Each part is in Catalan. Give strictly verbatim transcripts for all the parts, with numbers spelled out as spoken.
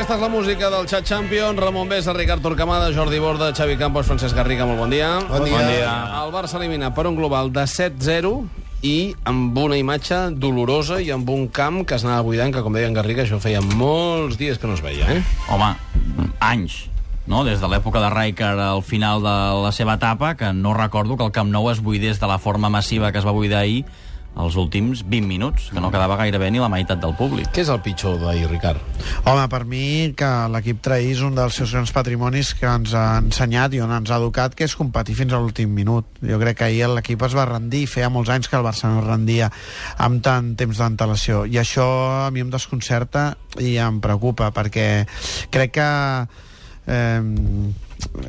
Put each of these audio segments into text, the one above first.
Aquesta és la música del Chat Champions. Ramon Besa, Ricard Torquemada, Jordi Borda, Xavi Campos, Francesc Garriga. Molt bon dia. Bon dia. Bon dia. El Barça elimina per un global de set zero i amb una imatge dolorosa i amb un camp que es anava buidant, que, com deia en Garriga, això feia molts dies que no es veia, eh? Home, anys, no? Des de l'època de Rijkaard al final de la seva etapa, que no recordo que el Camp Nou es buidés de la forma massiva que es va buidar ahir els últims vint minuts, que no quedava gairebé ni la meitat del públic. Què és el pitjor d'ahir, Ricard? Home, per mi, que l'equip traís un dels seus grans patrimonis que ens ha ensenyat i on ens ha educat, que és competir fins a l'últim minut. Jo crec que ahir l'equip es va rendir, feia molts anys que el Barça no es rendia amb tant temps d'antelació, i això a mi em desconcerta i em preocupa, perquè crec que eh,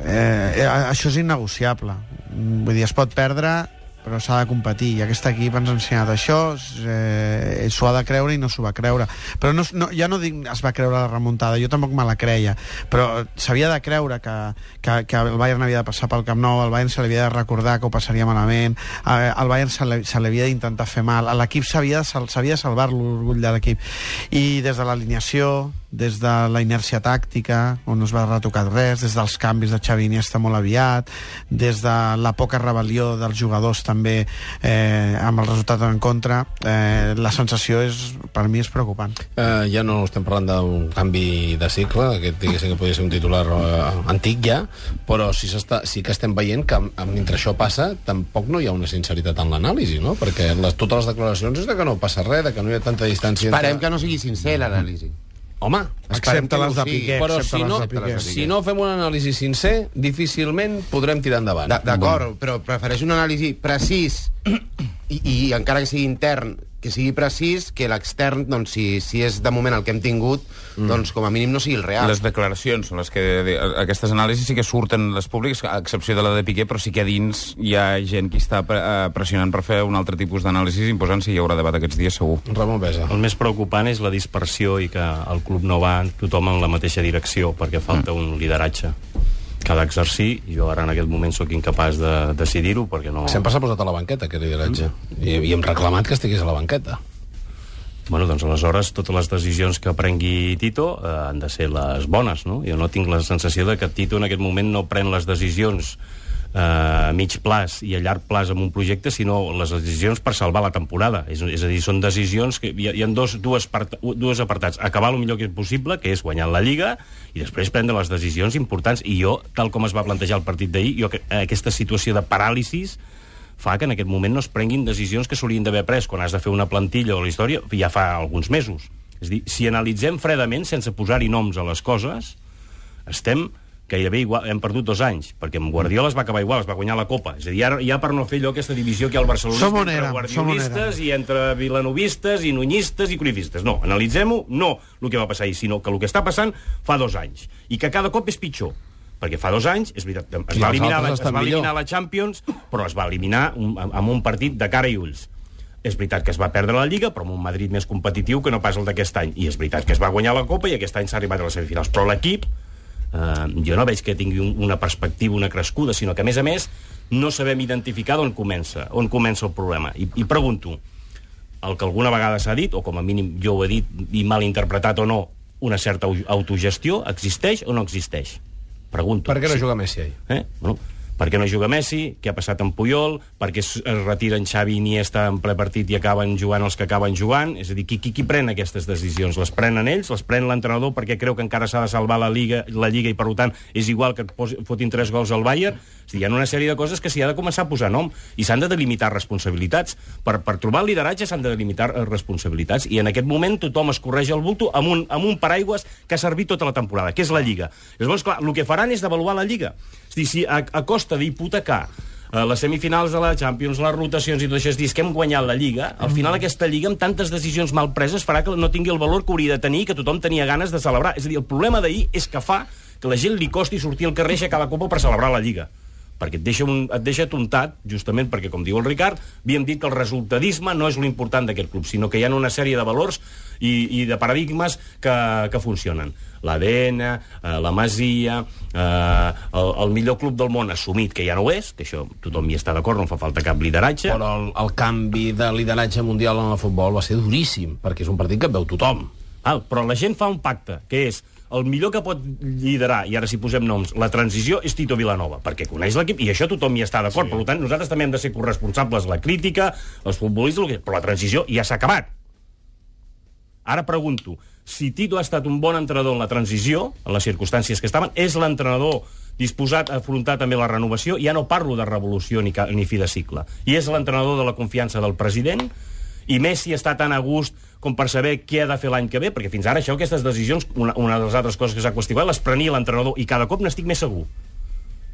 eh, això és innegociable. Vull dir, es pot perdre, però s'ha de competir, i aquest equip ens ha ensenyat això, eh, s'ho ha de creure i no s'ho va creure, però no, no, ja no dic es va creure la remuntada, jo tampoc me la creia, però s'havia de creure que, que, que el Bayern havia de passar pel Camp Nou, al Bayern se li havia de recordar que ho passaria malament, eh, al Bayern se li, se li havia d'intentar fer mal, a l'equip s'havia de, s'havia de salvar l'orgull de l'equip, i des de l'alineació, des de la inèrcia tàctica, on no es va retocar res, des dels canvis de Xavi Iniesta molt aviat, des de la poca rebel·lió dels jugadors també, eh, amb el resultat en contra, eh, la sensació és, per mi és preocupant. Eh, ja no estem parlant d'un canvi de cicle, aquest diguéssim que podria ser un titular eh, antic ja, però sí, sí que estem veient que mentre això passa tampoc no hi ha una sinceritat en l'anàlisi, no? Perquè les, totes les declaracions és de que no passa res, de que no hi ha tanta distància. Esperem entre... que no sigui sincer l'anàlisi. Home, excepte les de Piqué. però si no, si no fem un anàlisi sincer, difícilment podrem tirar endavant. D'acord, però prefereix un anàlisi precís i, i encara que sigui intern, que sigui precís, que l'extern, doncs, si, si és de moment el que hem tingut, mm. doncs com a mínim no sigui el real. Les declaracions són les que... Aquestes anàlisis sí que surten les públiques, a excepció de la de Piqué, però sí que a dins hi ha gent que està pressionant per fer un altre tipus d'anàlisis, imposant si hi haurà debat aquests dies, segur. Ramon Besa. El més preocupant és la dispersió i que el club no va tothom en la mateixa direcció, perquè falta mm. un lideratge que ha d'exercir. Jo ara en aquest moment sóc incapaç de decidir-ho perquè no... Sempre s'ha posat a la banqueta aquest lideratge mm. I, i hem reclamat que estigués a la banqueta. Bueno, doncs aleshores totes les decisions que prengui Tito eh, han de ser les bones, no? Jo no tinc la sensació de que Tito en aquest moment no pren les decisions eh, a mig plaç i a llarg plaç amb un projecte, sinó les decisions per salvar la temporada. És, és a dir, són decisions que hi ha, hi ha dos, dues, part, dues apartats. Acabar el millor que és possible, que és guanyar la Lliga, i després prendre les decisions importants. I jo, tal com es va plantejar el partit d'ahir, jo aquesta situació de paràlisis fa que en aquest moment no es prenguin decisions que s'haurien d'haver pres quan has de fer una plantilla o la història ja fa alguns mesos. És a dir, si analitzem fredament, sense posar-hi noms a les coses, estem gairebé igual, hem perdut dos anys, perquè amb Guardiola es va acabar igual, es va guanyar la Copa. És a dir, ja, ja per no fer allò, aquesta divisió que hi ha al barcelonisme entre guardiolistes i entre vilanovistes i nunyistes i cruyffistes. No, analitzem-ho, no el que va passar ahir, sinó que el que està passant fa dos anys, i que cada cop és pitjor. Perquè fa dos anys, és veritat, es va eliminar, la, es va eliminar la Champions, però es va eliminar un, amb un partit de cara i ulls. És veritat que es va perdre la Lliga, però amb un Madrid més competitiu que no pas el d'aquest any. I és veritat que es va guanyar la Copa i aquest any s'ha arribat a les semifinals. Però l'equip, eh, jo no veig que tingui un, una perspectiva, una crescuda, sinó que, a més a més, no sabem identificar d'on comença, on comença el problema. I, i pregunto, el que alguna vegada s'ha dit, o com a mínim jo ho he dit i mal interpretat o no, una certa autogestió, existeix o no existeix? Pregunto. Per què no sí. juga Messi ahir? Eh? Bueno, per què no juga Messi? Què ha passat amb Puyol? Per què es retiren Xavi i Iniesta en ple partit i acaben jugant els que acaben jugant? És a dir, qui, qui, qui pren aquestes decisions? Les prenen ells? Les pren l'entrenador perquè creu que encara s'ha de salvar la Lliga, la Lliga i, per tant, és igual que et posi, fotin tres gols al Bayern? És a dir, hi ha una sèrie de coses que s'hi ha de començar a posar nom i s'han de delimitar responsabilitats. Per, per trobar el lideratge s'han de delimitar responsabilitats i en aquest moment tothom es correix el bulto amb un, amb un paraigües que ha servit tota la temporada, que és la Lliga. Llavors, clar, el que faran és devaluar la Lliga. És a dir, si a, a costa d'hipotecar eh, les semifinals de la Champions, les rotacions i tot això, és dir, que hem guanyat la Lliga, al final aquesta Lliga, amb tantes decisions mal preses, farà que no tingui el valor que hauria de tenir i que tothom tenia ganes de celebrar. És a dir, el problema d'ahir és que fa que la gent li costi sortir al carrer a cada Copa per celebrar la Lliga. Perquè et deixa, un, et deixa tontat, justament perquè, com diu el Ricard, havíem dit que el resultadisme no és l'important d'aquest club, sinó que hi ha una sèrie de valors i, i de paradigmes que, que funcionen. L'A D N, eh, la Masia, eh, el, el millor club del món assumit, que ja no ho és, que això tothom hi està d'acord, no fa falta cap lideratge. Però el, el canvi de lideratge mundial en el futbol va ser duríssim, perquè és un partit que et veu tothom. Val, però la gent fa un pacte, que és el millor que pot liderar, i ara si posem noms, la transició és Tito Vilanova, perquè coneix l'equip, i això tothom hi està d'acord. Sí. Per tant, nosaltres també hem de ser corresponsables, la crítica, els futbolistes, però la transició ja s'ha acabat. Ara pregunto, si Tito ha estat un bon entrenador en la transició, en les circumstàncies que estaven, és l'entrenador disposat a afrontar també la renovació? Ja no parlo de revolució ni, ni fi de cicle. I és l'entrenador de la confiança del president? I Messi està tan a gust com per saber què ha de fer l'any que ve? Perquè fins ara això, aquestes decisions, una, una de les altres coses que s'ha qüestionat, les prenia l'entrenador, i cada cop n'estic més segur.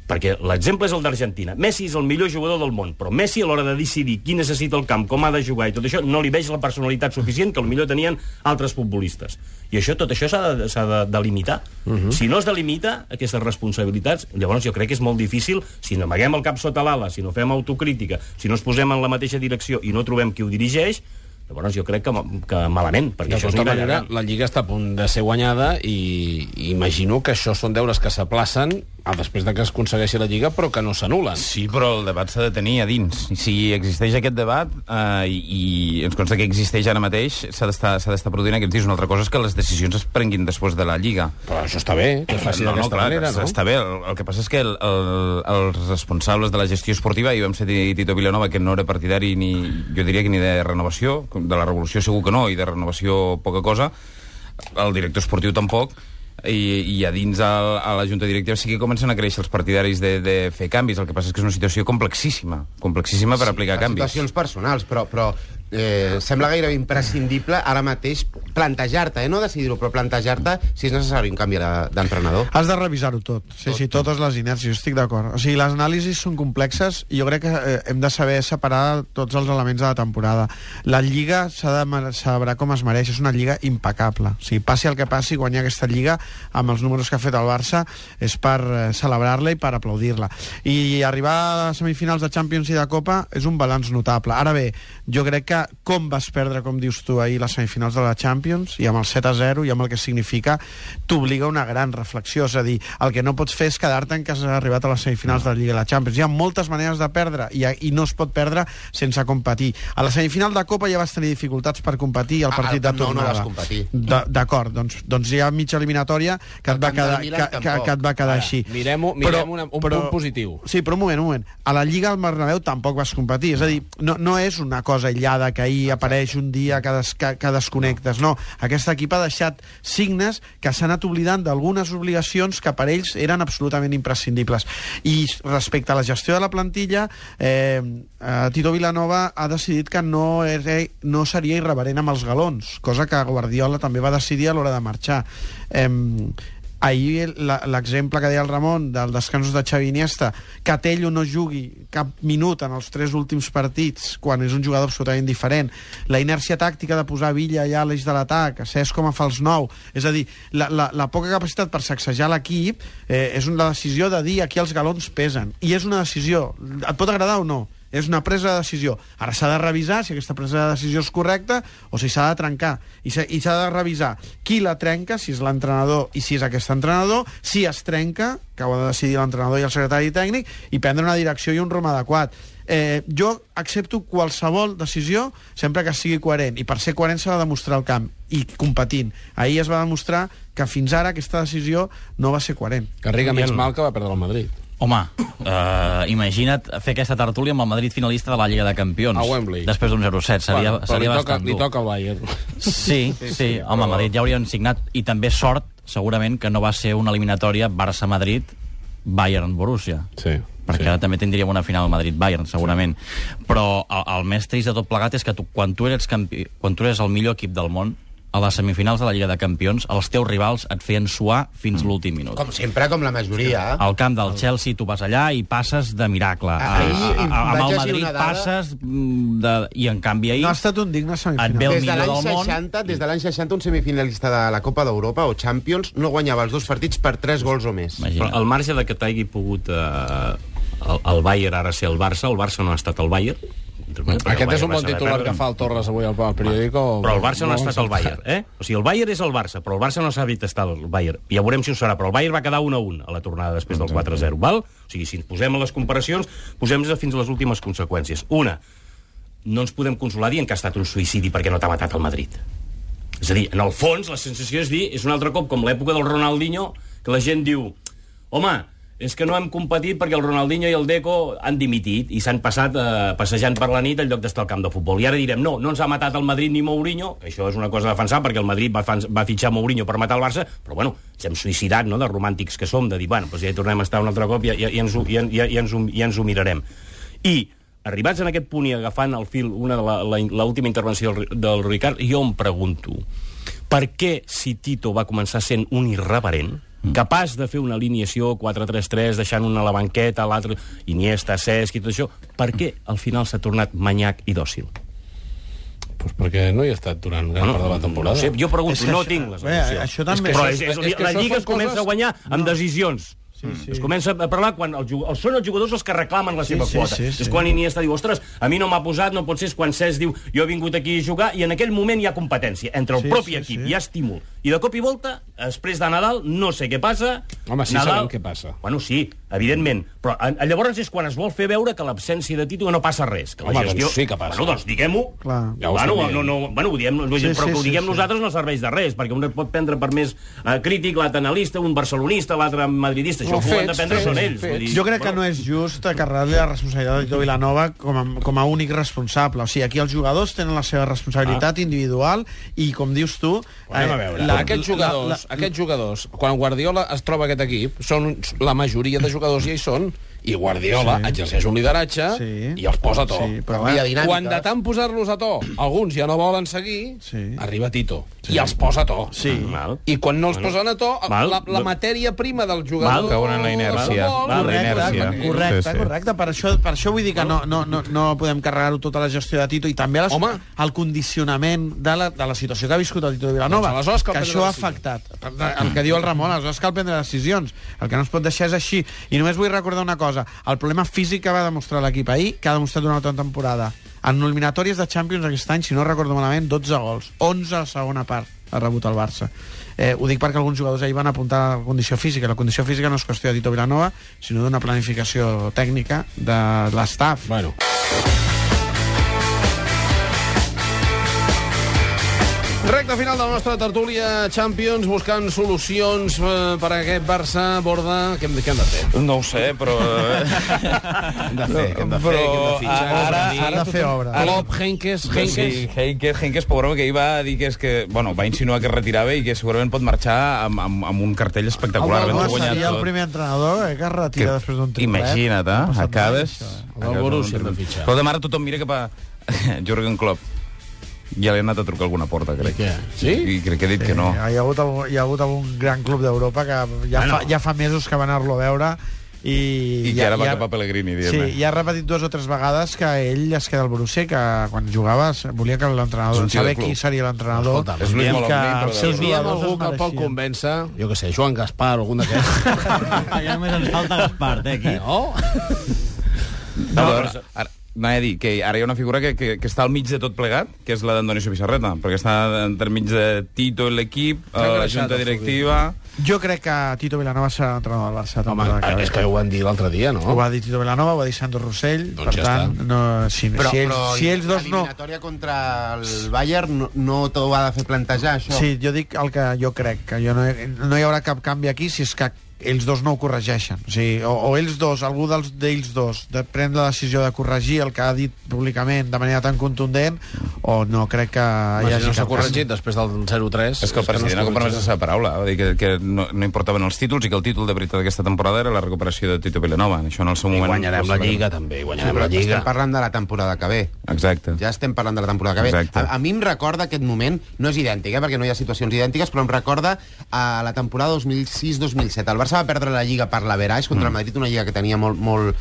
Perquè l'exemple és el d'Argentina. Messi és el millor jugador del món, però Messi a l'hora de decidir qui necessita el camp, com ha de jugar i tot això, no li veig la personalitat suficient que potser tenien altres futbolistes. I això, tot això s'ha de, s'ha de delimitar. Uh-huh. Si no es delimita aquestes responsabilitats, llavors jo crec que és molt difícil, si no amaguem el cap sota l'ala, si no fem autocrítica, si no es posem en la mateixa direcció i no trobem qui ho dirigeix, llavors jo crec que, que malament, perquè de això tota és manera, la Lliga està a punt de ser guanyada i, i imagino que això són deures que s'aplacen després de que es aconsegueixi la Lliga, però que no s'anulen. Sí, però el debat s'ha de tenir a dins. Si existeix aquest debat, eh, i, i ens consta que existeix ara mateix, s'ha d'estar s'ha d'estar produint aquests dies. Una altra cosa és que les decisions es prenguin després de la Lliga. Però això està bé, que es faci no, d'aquesta no, clar, manera, no? Està bé. El, el que passa és que el, el, els responsables de la gestió esportiva, i vam ser Tito Vilanova, que no era partidari ni, jo diria que ni de renovació, de la revolució segur que no, i de renovació poca cosa, el director esportiu tampoc, i, i a dins el, a la junta directiva sí que comencen a créixer els partidaris de, de fer canvis. El que passa és que és una situació complexíssima, complexíssima per sí, aplicar canvis. Situacions personals, però, però eh, sembla gairebé imprescindible ara mateix plantejar-te, eh, no decidir-ho, però plantejar-te si és necessari un canvi d'entrenador. Has de revisar-ho tot. Sí, tot. sí, totes les inèrcies, estic d'acord. O sigui, les anàlisis són complexes i jo crec que eh, hem de saber separar tots els elements de la temporada. La Lliga s'ha de saber com es mereix, és una Lliga impecable. O sigui, passi el que passi, guanyar aquesta Lliga amb els números que ha fet el Barça és per eh, celebrar-la i per aplaudir-la. I arribar a semifinals de Champions i de Copa és un balanç notable. Ara bé, jo crec que com vas perdre, com dius tu, ahir les semifinals de la Champions, i amb el set a zero i amb el que significa, t'obliga a una gran reflexió. És a dir, el que no pots fer és quedar-te en que has arribat a les semifinals de la Lliga i la Champions. Hi ha moltes maneres de perdre i, i no es pot perdre sense competir. A la semifinal de Copa ja vas tenir dificultats per competir i el partit ah, de tornada. No, no vas competir. D'acord, doncs, doncs hi ha mitja eliminatòria que et va quedar, que, que, que et va quedar Ara, així. Mirem-ho, mirem però, una, un però, punt positiu. Sí, però un moment, un moment. A la Lliga al Bernabéu tampoc vas competir. És a dir, no, no és una cosa aïllada que ahir apareix un dia que, des, que, que desconnectes. No, aquest equip ha deixat signes que s'han anat oblidant d'algunes obligacions que per ells eren absolutament imprescindibles. I respecte a la gestió de la plantilla, eh, eh, Tito Vilanova ha decidit que no, era, no seria irreverent amb els galons, cosa que Guardiola també va decidir a l'hora de marxar. Eh, ahir l'exemple que deia el Ramon dels descansos de Xavi Iniesta, que Tello no jugui cap minut en els tres últims partits quan és un jugador absolutament diferent, la inèrcia tàctica de posar Villa allà a l'eix de l'atac, Cesc com a fals nou, és a dir, la, la, la poca capacitat per sacsejar l'equip eh, és una decisió de dir aquí els galons pesen, i és una decisió, et pot agradar o no, és una presa de decisió. Ara s'ha de revisar si aquesta presa de decisió és correcta o si s'ha de trencar. I s'ha de revisar qui la trenca, si és l'entrenador i si és aquest entrenador, si es trenca, que ho ha de decidir l'entrenador i el secretari tècnic, i prendre una direcció i un rumb adequat. Eh, jo accepto qualsevol decisió sempre que sigui coherent, i per ser coherent s'ha de demostrar el camp i competint. Ahir es va demostrar que fins ara aquesta decisió no va ser coherent. Garriga més mal que va perdre el Madrid. Home, uh, imagina't fer aquesta tertúlia amb el Madrid finalista de la Lliga de Campions. A Wembley. Després d'un zero set. Seria, bueno, seria li toca, bastant dur. Li toca el Bayern. Sí, sí, sí, sí home, però... Madrid ja haurien signat. I també sort, segurament, que no va ser una eliminatòria Barça-Madrid, Bayern-Borussia. Sí. Perquè sí. ara també tindríem una final Madrid-Bayern, segurament. Sí. Però el, el més trist de tot plegat és que tu, quan, tu eres campi... quan tu eres el millor equip del món, a les semifinals de la Lliga de Campions, els teus rivals et feien suar fins mm. l'últim minut. Com sempre, com la majoria. Al camp del Chelsea tu vas allà i passes de miracle. Ahir, a, a, amb el Madrid dada... passes de... i en canvi ahir... No ha estat un digne semifinal. Et ve el des de millor del seixanta, món. Des de l'any seixanta, un semifinalista de la Copa d'Europa o Champions no guanyava els dos partits per tres gols o més. Però al marge de que t'hagi pogut eh, el, el Bayern ara ser el Barça, el Barça no ha estat el Bayern. Aquest és un bon titular que fa el Torres avui al periòdico. Però el Barça no ha estat el Bayern, eh? O sigui, el Bayern és el Barça, però el Barça no s'ha vist estar el Bayern. Ja veurem si ho serà, però el Bayern va quedar un a un a la tornada després del quatre a zero, val? O sigui, si ens posem a les comparacions, posem-nos fins a les últimes conseqüències. Una, no ens podem consolar dient que ha estat un suïcidi perquè no t'ha matat el Madrid. És a dir, en el fons, la sensació és dir, és un altre cop com l'època del Ronaldinho, que la gent diu, home, és que no hem competit perquè el Ronaldinho i el Deco han dimitit i s'han passat eh, passejant per la nit en lloc d'estar al camp de futbol. I ara direm, no, no ens ha matat el Madrid ni Mourinho, això és una cosa a defensar perquè el Madrid va, fan, va fitxar Mourinho per matar el Barça, però bueno, ens hem suïcidat, no?, de romàntics que som, de dir, bueno, doncs ja hi tornem a estar un altre cop i, i, i, ens, ho, i, i, i, ens, ho, i ens ho mirarem. I, arribats en aquest punt i agafant el fil una de l'última intervenció del, del Ricard, jo em pregunto, per què si Tito va començar sent un irreverent, capaç de fer una alineació quatre tres tres, deixant una a la banqueta, l'altre Iniesta, Cesc i tot això, per què al final s'ha tornat manyac i dòcil? Pues perquè no hi ha estat durant gran part de la temporada. No sé, jo pregunto, que no això, tinc les bé, emocions. això també... Però és, és, és, és que la això Lliga són es comença coses... a guanyar amb no. decisions. Sí, sí. Es comença a parlar quan el jugador, són els jugadors els que reclamen la seva sí, sí, quota. sí, sí. És quan Iniesta diu, ostres, a mi no m'ha posat, no pot ser, és quan Cesc diu, jo he vingut aquí a jugar, i en aquell moment hi ha competència. Entre el sí, propi sí, equip sí. hi ha estímul. I de cop i volta, després de Nadal, no sé què passa. Home, sí Nadal... sabem què passa. Bueno, sí, evidentment. Però a, a, llavors és quan es vol fer veure que l'absència de Tito no passa res. Que la Home, gestió... doncs sí que passa. Bueno, doncs diguem-ho. Clar. Ja ho bueno, estem no, no, bueno, ho diem, Sí, però sí, que ho sí, diguem sí. nosaltres no serveix de res, perquè un pot prendre per més eh, crític l'altre analista, un barcelonista, l'altre madridista. Això No, ho han de fets, prendre fets, són ells. fets. Vull dir, Jo crec que no és just carregar-li la responsabilitat a Tito Vilanova com a, com a únic responsable. O sigui, aquí els jugadors tenen la seva responsabilitat ah. individual i, com dius tu... Anem a veure. La, aquests jugadors, la, la, aquests jugadors, quan Guardiola es troba aquest equip, són la majoria de jugadors ja hi són, i Guardiola sí. exerceix un lideratge sí. Ah, i els posa a to. Sí, però Quan de tant posar-los a to, alguns ja no volen seguir, sí. arriba Tito sí. i els posa a to. Sí. Mal. I quan no els Bueno. posen a to, Mal. la, la matèria prima del jugador... Mal. Cauen en la inèrcia. Val, La Correcte, inèrcia. correcte, Sí, sí. correcte. Per això, per això vull dir que no, no, no, no podem carregar-ho tota la gestió de Tito i també les, Home. el condicionament de la, de la situació que ha viscut el Tito de Vilanova, Doncs aleshores cal que prendre això ha decisions. afectat. El que diu el Ramon, aleshores cal prendre decisions. El que no es pot deixar és així. I només vull recordar una cosa. El problema físic que va demostrar l'equip ahir, que ha demostrat una altra temporada. En eliminatòries de Champions aquest any, si no recordo malament, dotze gols. onze a la segona part ha rebut el Barça. Eh, ho dic perquè alguns jugadors ahir van apuntar a la condició física. La condició física no és qüestió de Tito Vilanova, sinó d'una planificació tècnica de l'estaf. Bueno. Recte final de la nostra tertúlia Champions, buscant solucions eh, per a aquest Barça. Borda, què hem, què hem de fer? No ho sé, però... Hem de fer, què hem de fer, Però què hem de fitxar, ara- què hem de S'ha de fer obra. Klopp, Henkes, Henkes... Sí, Henkes, Henkes, pobre, que ell va dir que és que... Bueno, va insinuar que es retirava i que segurament pot marxar amb, amb, amb un cartell espectacular. Home, havent-ho no, guanyat seria el tot. primer entrenador eh, que es retira Que- després d'un triplet. Imagina't, No ha eh? passat mai, Acabes... això, eh? El del Borussia hem de fitxar. Però demà ara tothom mira cap a Jürgen Klopp. Ja li ha anat a trucar alguna porta, crec. I què? Sí? I crec que ha dit que no. Hi ha hagut, algun, hi ha hagut algun gran club d'Europa que ja, Ah, no. fa, ja fa mesos que va anar-lo a veure i, I que ara va cap a Pellegrini, sí, diguem-ne. i ha repetit dues o tres vegades que ell es queda al Borussia, que quan jugava volia que l'entrenador, És un tio de saber club. qui seria l'entrenador. Escolta, És Luis i Molomni, que però els de- seus Si hi ha jugadors algú es que el pot mereixien. convèncer, jo què sé, Joan Gaspar o algun d'aquests... Ja només ens falta Gaspar, eh, aquí. No? No, però, ara, anava a dir que ara hi ha una figura que, que, que està al mig de tot plegat, que és la d'Antonio Pizarreta, perquè està entremig de Tito i l'equip, S'ha eh, la engreixat junta el directiva... Jo crec que Tito Vilanova serà l'entrenador del Barça. Home, temporada que ve. és que ho van dir l'altre dia, no? Ho va dir Tito Vilanova, ho va dir Sandro Rossell, Doncs per ja tant, està. no, si, Però, si, ells, però si ells dos no... l'eliminatòria contra el Bayern no, no t'ho ha de fer plantejar, això? Sí, jo dic el que jo crec, que jo no, no hi haurà cap canvi aquí si és que ells dos no ho corregeixen. O sigui, o, o ells dos, algú dels d'ells dos, de prendre la decisió de corregir el que ha dit públicament de manera tan contundent, o no crec que hi Home, si hagi no s'ha cap corregit després del zero tres... És que el president ha compromès la seva paraula, va dir que, que no, no importaven els títols i que el títol de veritat d'aquesta temporada era la recuperació de Tito Vilanova. Això en el seu I moment... guanyarem ho la sabrem. Lliga, també, i Sí, guanyarem però la Lliga. estem parlant de la temporada que ve. Exacte. Ja estem parlant de la temporada que ve. Exacte. A, a mi em recorda aquest moment, no és idèntic, eh, perquè no hi ha situacions idèntiques, però em recorda a la temporada dos mil sis dos mil set. El Barça va perdre la Lliga per l'Average contra el Madrid, una Lliga que tenia molt, molt,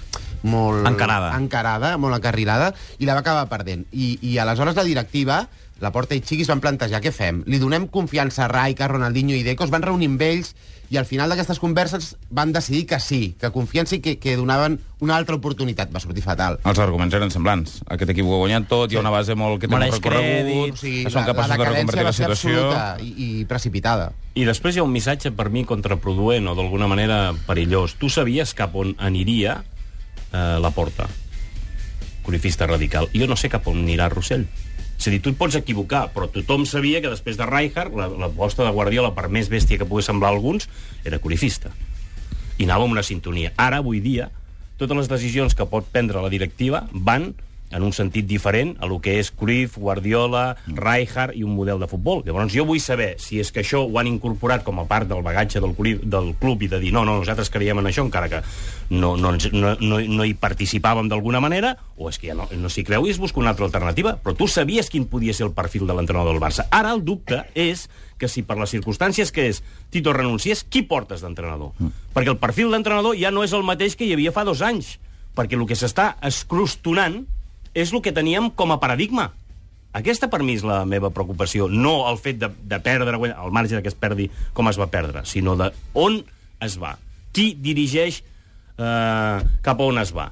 molt Encarada. encarada, molt encarrilada, i la va acabar perdent. I, i aleshores la directiva, la Porta i Chiqui, es van plantejar, què fem? Li donem confiança a Raika, Ronaldinho i Deco, es van reunir amb ells, i al final d'aquestes converses van decidir que sí, que confiança i que, que donaven una altra oportunitat. Va sortir fatal. Els arguments eren semblants. Aquest equip ho ha guanyat tot, hi ha una base molt que té Mereix molt recorregut, crèdit. O sigui, que són la, capaços la de reconvertir decadència la va ser situació. absoluta i, i precipitada. I després hi ha un missatge per mi contraproduent o d'alguna manera perillós. Tu sabies cap on aniria eh, la Porta? Corifista radical. I jo no sé cap on anirà Rossell. És a dir, tu et pots equivocar, però tothom sabia que després de Rijkaard, la, la posta de Guardiola, per més bèstia que pogués semblar a alguns, era corifista. I anava amb una sintonia. Ara, avui dia, totes les decisions que pot prendre la directiva van en un sentit diferent a lo que és Cruyff, Guardiola, Rijkaard i un model de futbol. Llavors jo vull saber si és que això ho han incorporat com a part del bagatge del club, del club i de dir no, no, nosaltres creiem en això, encara que no, no, no, no, no hi participàvem d'alguna manera, o és que ja no, no s'hi creu i es busca una altra alternativa. Però tu sabies quin podia ser el perfil de l'entrenador del Barça. Ara el dubte és que si per les circumstàncies que és Tito renunciés, qui portes d'entrenador? Mm. Perquè el perfil d'entrenador ja no és el mateix que hi havia fa dos anys, perquè el que s'està escrostonant és el que teníem com a paradigma. Aquesta, per mi, és la meva preocupació. No el fet de, de perdre, al marge que es perdi com es va perdre, sinó de on es va. Qui dirigeix eh, cap a on es va.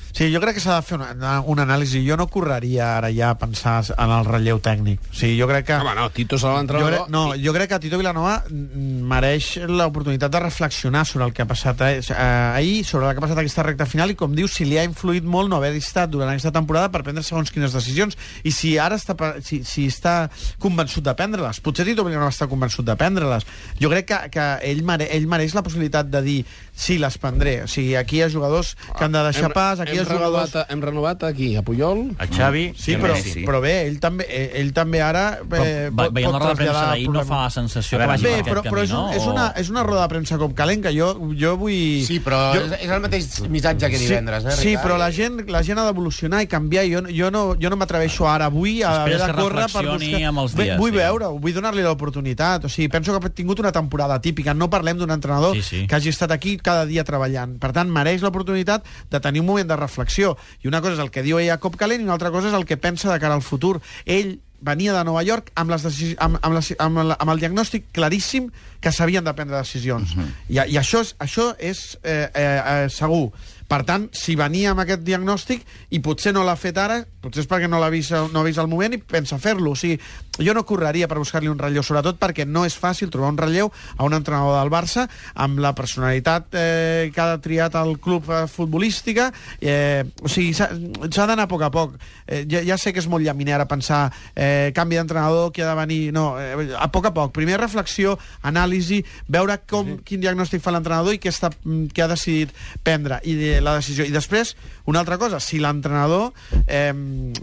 Sí, jo crec que s'ha de fer una, una anàlisi. Jo no correria ara ja a pensar en el relleu tècnic. O sigui, jo crec que... Home, no, Tito serà l'entrenador... No, jo crec que Tito Vilanova mereix l'oportunitat de reflexionar sobre el que ha passat eh, ahir, sobre el que ha passat aquesta recta final, i com dius, si li ha influït molt no haver estat durant aquesta temporada per prendre segons quines decisions, i si ara està, si, si està convençut de prendre-les. Potser Tito Vilanova està convençut de prendre-les. Jo crec que, que ell, mere, ell mereix la possibilitat de dir sí, les prendré. O sigui, aquí hi ha jugadors que han de deixar hem, pas, aquí hi ha jugadors... A, hem renovat aquí, a Puyol, a Xavi, sí, però, Messi. però bé, ell també, ell també ara eh, però, pot, veient la roda de premsa d'ahir no problemes. fa la sensació Bé, que vagi per però, aquest però camí, és, un, no? és, una, és una roda de premsa com calent, que jo, jo vull... Sí, però jo... és, és el mateix missatge que divendres, eh, Ricard? Sí, però la gent, la gent ha d'evolucionar i canviar. Jo, jo no, jo no m'atreveixo ara, avui, a haver de córrer per buscar... amb els dies, vull sí. veure, vull donar-li l'oportunitat. O sigui, penso que ha tingut una temporada típica. No parlem d'un entrenador sí, sí. que hagi estat aquí cada dia treballant. Per tant, mereix l'oportunitat de tenir un moment de reflexió. I una cosa és el que diu ell a cop calent i una altra cosa és el que pensa de cara al futur. Ell venia de Nova York amb, les decisions, amb, amb, la, amb, la, amb el diagnòstic claríssim que s'havien de prendre decisions. Uh -huh. I, I això és, això és eh, eh, eh, segur. Per tant, si venia amb aquest diagnòstic i potser no l'ha fet ara, potser és perquè no l'ha vist, no ha vist el moment i pensa fer-lo. O sigui, jo no correria per buscar-li un relleu, sobretot perquè no és fàcil trobar un relleu a un entrenador del Barça amb la personalitat eh, que ha triat el club eh, futbolística. Eh, o sigui, s'ha d'anar a poc a poc. Eh, ja, ja sé que és molt llaminer ara pensar eh, canvi d'entrenador, qui ha de venir... No, eh, a poc a poc. Primer reflexió, anàlisi, veure com, sí. quin diagnòstic fa l'entrenador i què, està, què ha decidit prendre. I de, la decisió. I després, una altra cosa, si l'entrenador eh,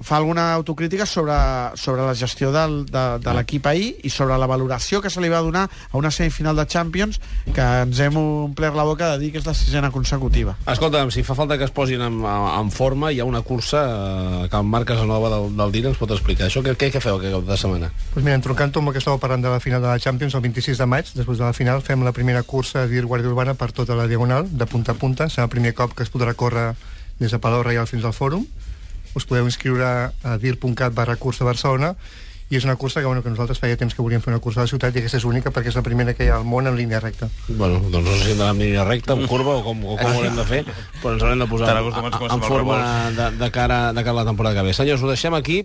fa alguna autocrítica sobre, sobre la gestió del, de, de l'equip ahir i sobre la valoració que se li va donar a una semifinal de Champions que ens hem omplert la boca de dir que és la sisena consecutiva. Escolta'm, si fa falta que es posin en, en forma, hi ha una cursa eh, que en Marc Casanova del, del D I R ens pot explicar. Això què, què, què feu aquest cap de setmana? Pues mira, entroncant amb el que estàveu parlant de la final de la Champions, el vint-i-sis de maig, després de la final, fem la primera cursa D I R Guàrdia Urbana per tota la Diagonal, de punta a punta. Serà el primer cop que es podrà córrer des de Palau Reial fins al Fòrum. Us podeu inscriure a dir punt cat barra cursa Barcelona, i és una cursa que, bueno, que nosaltres feia temps que volíem fer una cursa a la ciutat, i aquesta és única perquè és la primera que hi ha al món en línia recta. Bueno, doncs no sé si hem d'anar en línia recta, en curva, o com, o com ho haurem de fer, però ens haurem de posar en, en forma de, de, cara, de cara a la temporada que ve. Senyors, ho deixem aquí.